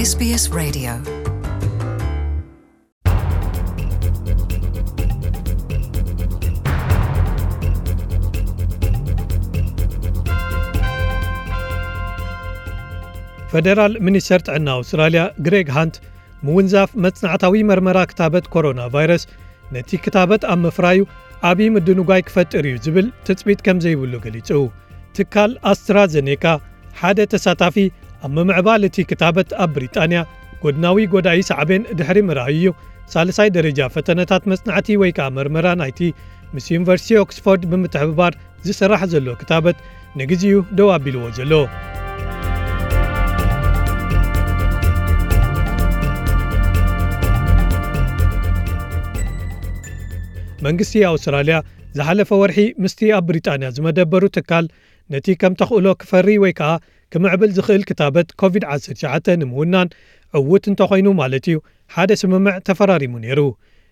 S B S Radio. ፈደራል ሚኒስተር ጥዕና ኣውስትራልያ ግሬግ ሃንት፣ ምውንዛፍ መጽናዕታዊ መርመራ ክታበት ኮሮና ቫይረስ ነቲ ክታበት ኣብ ምፍራዩ ዓብዪ ምድንጓይ ክፈጥር እዩ ዝብል ትጽቢት ከም ዘይብሉ ገሊጹ። ትካል ኣስትራዘኔካ ሓደ ተሳታፊ ኣብ ምምዕባል እቲ ክታበት ኣብ ብሪጣንያ ጎድናዊ ጎዳኢ ሳዕቤን ድሕሪ ምርኣዩ እዩ ሳልሳይ ደረጃ ፈተነታት መጽናዕቲ ወይ ከዓ መርመራ ናይቲ ምስ ዩኒቨርሲቲ ኦክስፎርድ ብምትሕብባር ዝስራሕ ዘሎ ክታበት ንግዚኡ ደው ኣቢልዎ ዘሎ። መንግስቲ ኣውስትራልያ ዝሓለፈ ወርሒ ምስቲ ኣብ ብሪጣንያ ዝመደበሩ ትካል ነቲ ከም ተኽእሎ ክፈሪ ወይ ከዓ ክምዕብል ዝኽእል ክታበት ኮቪድ ዓሰርተ ትሽዓተ ንምውናን ዕዉት እንተኾይኑ ማለት እዩ ሓደ ስምምዕ ተፈራሪሙ ነይሩ።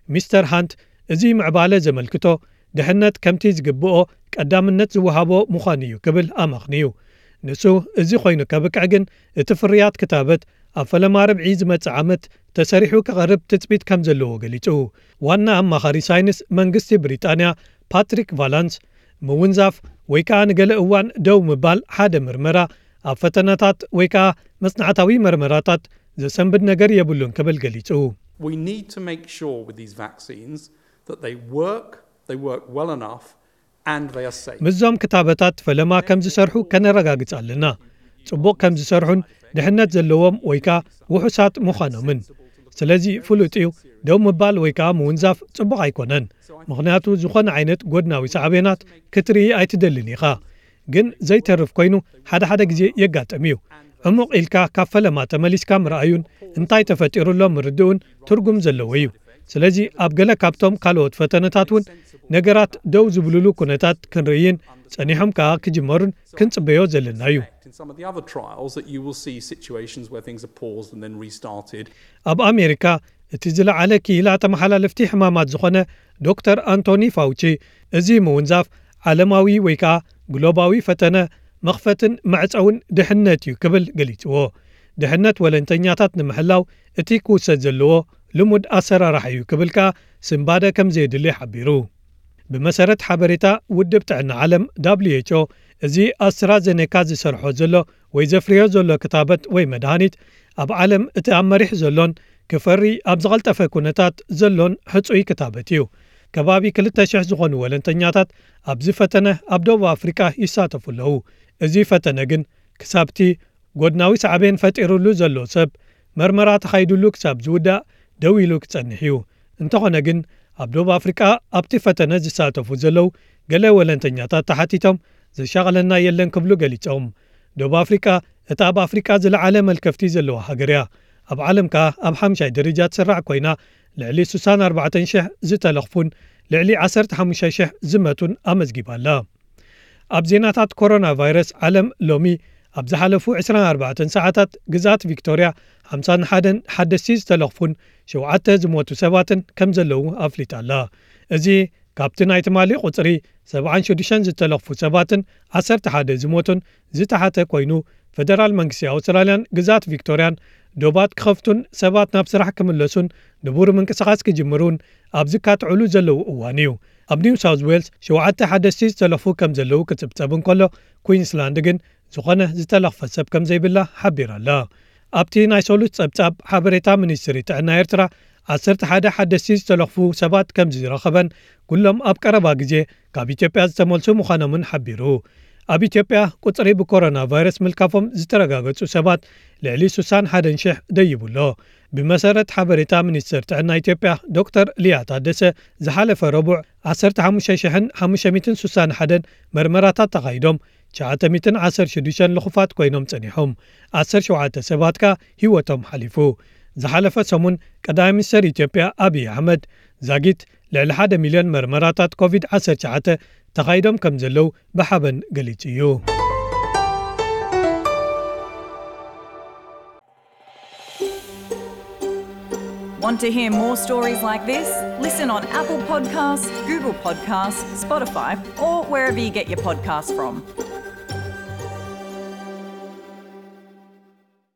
ሚስተር ሃንት እዚ ምዕባለ ዘመልክቶ ድሕነት ከምቲ ዝግብኦ ቀዳምነት ዝወሃቦ ምዃኑ እዩ ክብል ኣመኽንዩ። ንሱ እዚ ኮይኑ ከብቅዕ ግን እቲ ፍርያት ክታበት ኣብ ፈለማ ርብዒ ዝመጽእ ዓመት ተሰሪሑ ክቐርብ ትጽቢት ከም ዘለዎ ገሊጹ። ዋና ኣማኻሪ ሳይንስ መንግስቲ ብሪጣንያ ፓትሪክ ቫላንስ ምውንዛፍ ወይ ከዓ ንገለ እዋን ደው ምባል ሓደ ምርመራ ኣብ ፈተነታት ወይ ከዓ መጽናዕታዊ መርመራታት ዘሰንብድ ነገር የብሉን ክብል ገሊጹ። We need to make sure with these vaccines that they work, they work well enough, and they are safe. ምስዞም ክታበታት ፈለማ ከም ዝሰርሑ ከነረጋግጽ ኣለና። ጽቡቕ ከም ዝሰርሑን ድሕነት ዘለዎም ወይ ከዓ ውሑሳት ምዃኖምን። ስለዚ ፍሉጥ እዩ፣ ደው ምባል ወይ ከዓ ምውንዛፍ ጽቡቕ ኣይኮነን። ምኽንያቱ ዝኾነ ዓይነት ጎድናዊ ሳዕቤናት ክትርኢ ኣይትደልን ኢኻ። ግን ዘይተርፍ ኮይኑ ሓደ ሓደ ግዜ የጋጥም እዩ። ዕሙቕ ኢልካ ካብ ፈለማ ተመሊስካ ምርኣዩን እንታይ ተፈጢሩ ኣሎ ምርድኡን ትርጉም ዘለዎ እዩ። ስለዚ ኣብ ገለ ካብቶም ካልኦት ፈተነታት እውን ነገራት ደው ዝብሉሉ ኩነታት ክንርእይን ጸኒሖም ከኣ ክጅመሩን ክንጽበዮ ዘለና እዩ። In some of the other trials that you will see situations where things are paused and then restarted. ኣብ ኣሜሪካ እቲ ዝለዓለ ክኢላ ተመሓላለፍቲ ሕማማት ዝኾነ ዶክተር ኣንቶኒ ፋውቺ፣ እዚ ምውንዛፍ ዓለማዊ ወይ ከኣ ግሎባዊ ፈተነ መኽፈትን መዕጸውን ድሕነት እዩ ክብል ገሊጽዎ። ድሕነት ወለንተኛታት ንምሕላው እቲ ክውሰድ ዘለዎ ልሙድ ኣሰራርሓ እዩ ክብል ከኣ ስንባደ ከም ዘየድሊ ሓቢሩ። ብመሰረት ሓበሬታ ውድብ ጥዕና ዓለም W H O፣ እዚ ኣስትራዘኔካ ዝሰርሖ ዘሎ ወይ ዘፍርዮ ዘሎ ክታበት ወይ መድሃኒት ኣብ ዓለም እቲ ኣብ መሪሕ ዘሎን ክፈሪ ኣብ ዝቐልጠፈ ኩነታት ዘሎን ሕጹይ ክታበት እዩ። ከባቢ ክልተ ሽሕ ዝኾኑ ወለንተኛታት ኣብዚ ፈተነ ኣብ ደቡብ ኣፍሪቃ ይሳተፉ ኣለዉ። እዚ ፈተነ ግን ክሳብቲ ጎድናዊ ሳዕቤን ፈጢሩሉ ዘሎ ሰብ መርመራ ተኻይዱሉ ክሳብ ዝውዳእ ደው ኢሉ ክጸንሕ እዩ። እንተኾነ ግን ኣብ ደቡብ ኣፍሪቃ ኣብቲ ፈተነ ዝሳተፉ ዘለዉ ገለ ወለንተኛታት ተሓቲቶም ዘሻቐለና የለን ክብሉ ገሊጾም። ደቡብ ኣፍሪቃ እታ ኣብ ኣፍሪቃ ዝለዓለ መልከፍቲ ዘለዋ ሃገር እያ። ኣብ ዓለም ከኣ ኣብ ሓምሻይ ደረጃ ትስራዕ ኮይና ልዕሊ ስሳን ኣርባዕተን ሽሕ ዝተለኽፉን ልዕሊ ዓሰርተ ሓሙሽተ ሽሕ ዝመቱን ኣመዝጊባ ኣላ። ኣብ ዜናታት ኮሮና ቫይረስ ዓለም ሎሚ ኣብ ዝሓለፉ ዕስራን ኣርባዕተን ሰዓታት ግዝኣት ቪክቶርያ ሓምሳን ሓደን ሓደስቲ ዝተለኽፉን ሸውዓተ ዝሞቱ ሰባትን ከም ዘለዉ ኣፍሊጣ ኣላ። እዚ ካብቲ ናይ ትማሊ ቁጽሪ ሰብዓን ሽዱሽተን ዝተለኽፉ ሰባትን ዓሰርተ ሓደ ዝሞቱን ዝተሓተ ኮይኑ ፈደራል መንግስቲ ኣውስትራልያን ግዝኣት ቪክቶርያን ዶባት ክኸፍቱን ሰባት ናብ ስራሕ ክምለሱን ንቡር ምንቅስቓስ ክጅምሩን ኣብ ዝካትዑሉ ዘለዉ እዋን እዩ። ኣብ ኒው ሳውዝ ዌልስ ሸውዓተ ሓደስቲ ዝተለኽፉ ከም ዘለዉ ክጽብጸብ እንከሎ ኩዊንስላንድ ግን ዝኾነ ዝተለኽፈ ሰብ ከም ዘይብላ ሓቢራ ኣላ። ኣብቲ ናይ ሰሉስ ጸብጻብ ሓበሬታ ሚኒስትሪ ጥዕና ኤርትራ ዓሰርተ ሓደ ሓደስቲ ዝተለኽፉ ሰባት ከም ዝረኸበን ኩሎም ኣብ ቀረባ ግዜ ካብ ኢትዮጵያ ዝተመልሱ ምዃኖምን ሓቢሩ። ኣብ ኢትዮጵያ ቁጽሪ ብኮሮና ቫይረስ ምልካፎም ዝተረጋገጹ ሰባት ልዕሊ ስሳን ሓደን ሽሕ ደይቡ ኣሎ። ብመሰረት ሓበሬታ ሚኒስትር ጥዕና ኢትዮጵያ ዶክተር ሊያ ታደሰ ዝሓለፈ ረቡዕ ዓሰርተ ሓሙሽተ ሽሕን ሓሙሽተ ሚእትን ስሳን ሓደን መርመራታት ተኻይዶም ትሽዓተ ሚእትን ዓሰርተ ሽዱሽተን ልኹፋት ኮይኖም ጸኒሖም። ዓሰርተ ሸውዓተ ሰባት ከኣ ህይወቶም ሓሊፉ። ዝሓለፈ ሰሙን ቀዳማይ ሚኒስተር ኢትዮጵያ ኣብይ ኣሕመድ ዛጊት ልዕሊ ሓደ ሚልዮን መርመራታት ኮቪድ ዓሰርተ ትሽዓተ ተኻይዶም ከም ዘለዉ ብሓበን ገሊጹ እዩ። Want to hear more stories like this? Listen on Apple Podcasts, Google Podcasts, Spotify, or wherever you get your podcasts from.